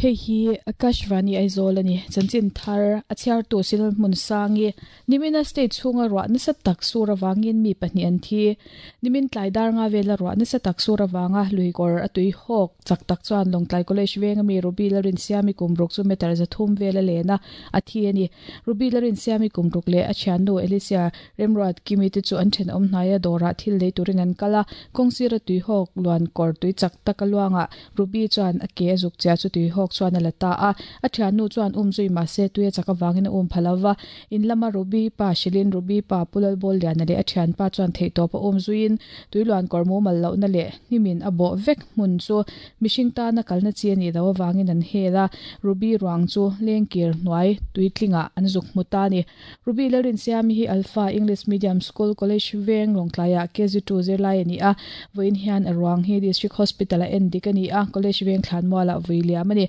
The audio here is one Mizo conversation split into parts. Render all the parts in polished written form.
Hei hi Akashvani Aizawl a ni. Chanchin thar a chhiartu Sinal Hmunsangi, Nimina state chhunga ruah nasa tak sur avangin mi pahnih an thi. Nimin tlai dar nga vela ruah nasa tak sur avanga luikawr a tui hawk chak tak chuan Lawngtlai College venga mi Ruby Lalrinsiami kum ruk chu meter 300 vel a len a, a thi a ni. Ruby Lalrinsiami kum ruk leh a thiannu Alicia Remruat Kimi te chu an thenawm hnaia dawrah thil lei turin an kal a, kawng sira tui hawk luan kawr tui chak tak a luangah Ruby chuan a ke a zuk chiah chu tui hawk chuan a la ta a, a thiannu chuan um zui mahse tui a chak avangin a um pha lo va. In lama Ruby pa hrilhin Ruby pa Pu Lalbawlliana leh a thianpa chuan theihtawp a um zuiin tui luan kawr mumal lohna leh hnimin a bawh vek hmun chu mihring tana kalna chi a nih loh avangin an hel a, Ruby ruang chu lengkir hnuai tuitlingah an zuk hmu ta a ni. Ruby Lalrinsiami hi Alpha English Medium School College veng Lawngtlaiah KG2 zirlai a ni a, vawiin hian a ruang hi District Hospital-ah en dik a ni a, College veng thlanmualah vui liam a ni.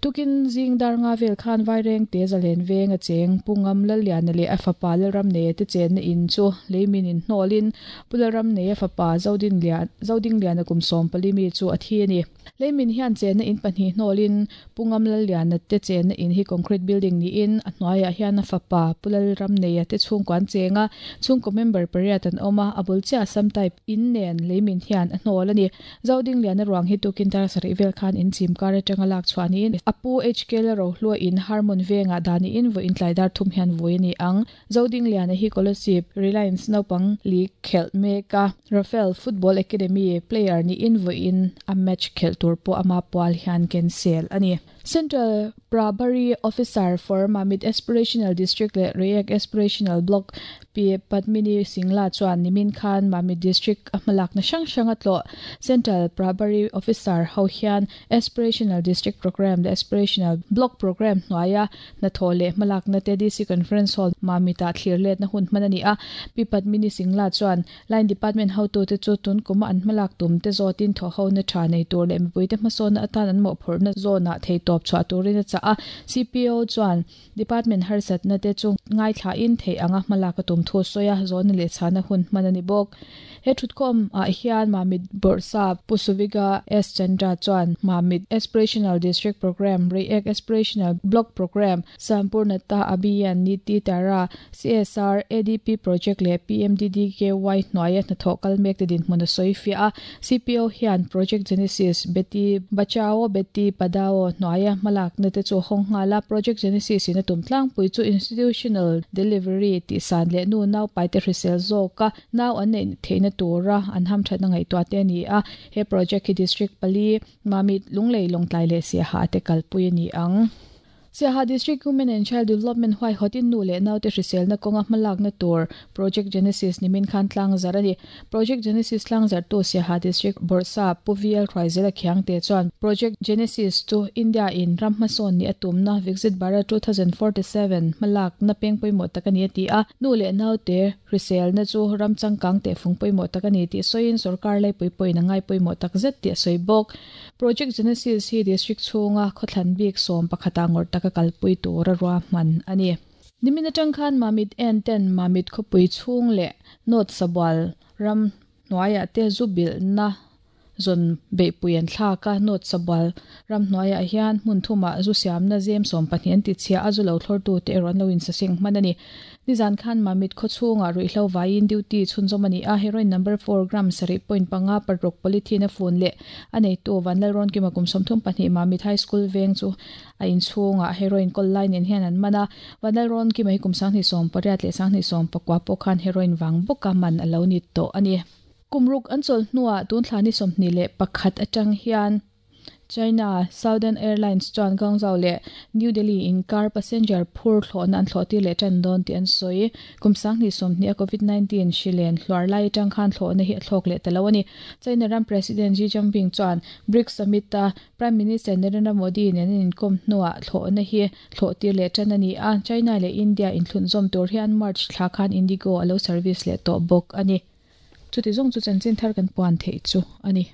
Tukin zing dar nga vel khan Vaireng te zalen veng a cheng Pu Ngam Lalliana leh a fapa Lalramneia te chenna in chu leimin in hnawlin Pu Lalramneia fapa Zodingliana kum 14 mi chu a thi a ni. Leimin hian chenna in pahnih hnawlin Pu Ngam Lalliana te chenna in hi concrete building niin a hnuaiah hian a fapa Pu Lalramneia te chhungkua an cheng a, chhungkaw member pariat an awm a, a bul chiah Assam type in nen leimin hian a hnawl a ni. Zodingliana ruang hi tukin dar sarih vel khan in chim kar atanga lak chhuah niin a pu HK Lalrohlua in Harmon vengah dah niin vawiin tlai dar thum hian vui a ni ang. Zodingliana hi Kolasib Reliance naupang league khelh mek a, Rafael Football Academy player niin vawiin a match khelh tur pawh ama pual hian cancel a ni. Central Prabhari Officer for Mamit Aspirational District leh Reiek Aspirational Block Pi Padmini Singla chuan nimin khan Mamit District a hmalakna hrang hrang a tlawh. Central Prabhari Officer ho hian Aspirational District Programme leh Aspirational Block Programme hnuaia Hnathawh leh hmalakna te DC Conference Hall Mamitah thlir letna hun hman a ni a. Pi Padmini Singla chuan Line Department hotute chu tun kuma an hmalak tum te zawtin thawhhona tha nei tur leh mipuite hmasawnna atan an mawhphurhna zawnah theihtawp chhuah turin a chah a. CPO chuan Department harsatna te chu ngaithlain theih anga hmalak a tum thu a sawi a, zawhna leh chhana hun hman a ni bawk. He thutkhawm ah hian Mamit Bawrhsap Pu Suviga S Chandra chuan Mamit Aspirational District Programme, Reiek Aspirational Block Programme, Sampurnata Abhiyan Niti Tara, CSR, ADP Project leh PMDDKY hnuaia hnathawh kal mek te dinhmun a sawi fiah a. CPO hian Project Genesis, Beti Bachao Beti Padhao hnuaia hmalakna te chu a hawng nghal a. Project Genesis in a tum tlangpui chu Institutional Delivery tihsan leh nu naupaite hrisel zawka Nau an neih theihna tura an hamthatna ngaihtuah te a ni a, he project hi District pali, Mamit, Lunglei, Lawngtlai leh Siaha te kalpui a ni ang. Siaha District Women and Child Development huaihawtin nu leh naute hriselna kawnga hmalakna tur Project Genesis nimin khan tlangzar a ni. Project Genesis tlangzartu Siaha District Bawrhsap Pu VL Hruaizela Khiangte chuan Project Genesis chu India in ram hmasawn nih a tumna Viksit Bharat 2047 hmalakna peng pawimawh tak a ni a ti a, nu leh naute Hriselna chu ram changkang teh fung pawimawh tak a ni tih sawiin sorkar laipui pawhin a ngai pawimawh tak zet tih a sawi bawk. Project Genesis hi district chhunga khawthlan bik sawm pakhata ngawrh taka kalpui tura ruahman a ni. Nimin atang khan Mamit en ten Mamit khawpui chhung leh North Sabual ram hnuaiah te zu bilhna zawn beihpui an thlak a, North Sabual ram hnuaiah hian hmun thumah zu siamna zem 12 an ti chhia a, zu lo thlawrtute erawh an lo insaseng hman a ni. Nizan khan Mamit khaw chhungah ruihhlo vaiin duty chhunzawm a ni a, heroin number four gram sarih point panga paruk polythene a fun leh a neitu Vanlalrawnkima kum 32 Mamit High School veng chu a inchhungah heroin kawl lai nen hian an man a, Vanlalrawnkima hi kum 2018 leh 2019 pawh khan heroin vang bawka man a lo ni tawh a ni. Kum ruk an chawlh hnuah tun thla ni 21 atang hian China Southern Airlines chuan Guangzhou leh New Delhi inkar passenger phur thlawhna an thlawh tir leh tan dawn tih an sawi. Kum 2020 a Covid 19 hri len hluar lai atang khan thlawhna hi a thlawk leh ta lo a ni. China ram President Xi Jinping chuan BRICS Summit a Prime Minister Narendra Modi nen an inkawm hnuah thlawhna hi thlawh tir leh tan a ni a. China leh India inthlunzawm tur hian March thla khan Indigo a lo service leh tawh bawk a ni. Chuti zawng chu chanchin thar kan puan theih chu a ni.